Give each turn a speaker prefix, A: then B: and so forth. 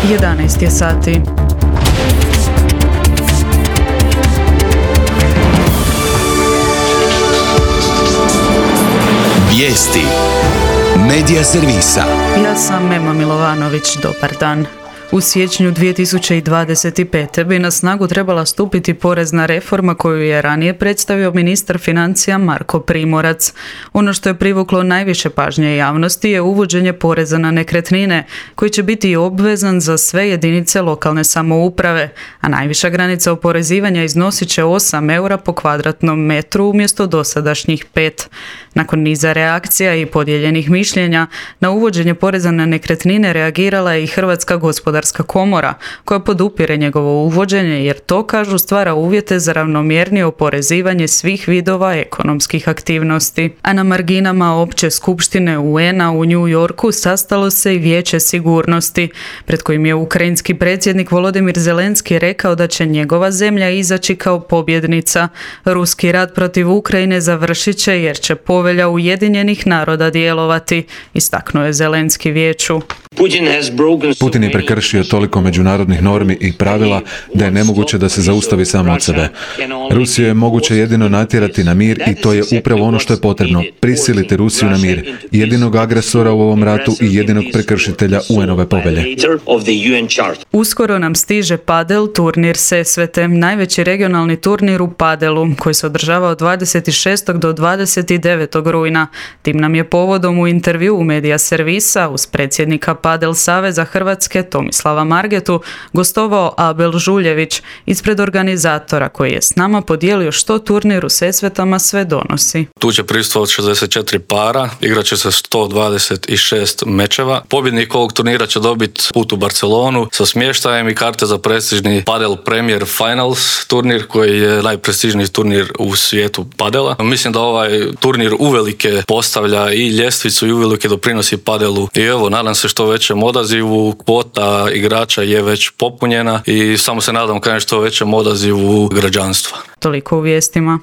A: 11 je sati.
B: Vijesti Medija servisa.
A: Ja sam Ema Milovanović, dobar dan. U siječnju 2025. bi na snagu trebala stupiti porezna reforma koju je ranije predstavio ministar financija Marko Primorac. Ono što je privuklo najviše pažnje javnosti je uvođenje poreza na nekretnine, koji će biti obvezan za sve jedinice lokalne samouprave, a najviša granica oporezivanja iznosit će 8 eura po kvadratnom metru umjesto dosadašnjih 5. Nakon niza reakcija i podijeljenih mišljenja, na uvođenje poreza na nekretnine reagirala je i Hrvatska gospodarska komora, koja podupire njegovo uvođenje jer to, kažu, stvara uvjete za ravnomjernije oporezivanje svih vidova ekonomskih aktivnosti. A na marginama opće skupštine UN-a u New Yorku sastalo se i Vijeće sigurnosti, pred kojim je ukrajinski predsjednik Volodimir Zelenski rekao da će njegova zemlja izaći kao pobjednica. Ruski rat protiv Ukrajine završit će jer će Povelja Ujedinjenih naroda djelovati, istaknuo je Zelenski vijeću.
C: Putin je prekršio toliko međunarodnih normi i pravila da je nemoguće da se zaustavi samo od sebe. Rusiju je moguće jedino natjerati na mir i to je upravo ono što je potrebno. Prisiliti Rusiju na mir, jedinog agresora u ovom ratu i jedinog prekršitelja UN-ove povelje.
A: Uskoro nam stiže padel turnir Sesvete, najveći regionalni turnir u padelu, koji se održava od 26. do 29. rujna. Tim nam je povodom u intervju u Medija servisa uz predsjednika Padel Saveza Hrvatske Tomislava Margetu gostovao Abel Žuljević ispred organizatora, koji je s nama podijelio što turnir u Sesvetama sve donosi.
D: Tu će prisustvovati 64 para, igrat će se 126 mečeva. Pobjednik ovog turnira će dobiti put u Barcelonu sa smještajem i karte za prestižni Padel Premier Finals turnir, koji je najprestižniji turnir u svijetu padela. Mislim da ovaj turnir uvelike postavlja i ljestvicu i uvelike doprinosi padelu. I evo, nadam se što većem odazivu, kvota igrača je već popunjena i samo se nadam što većem odazivu građanstva.
A: Toliko u vijestima.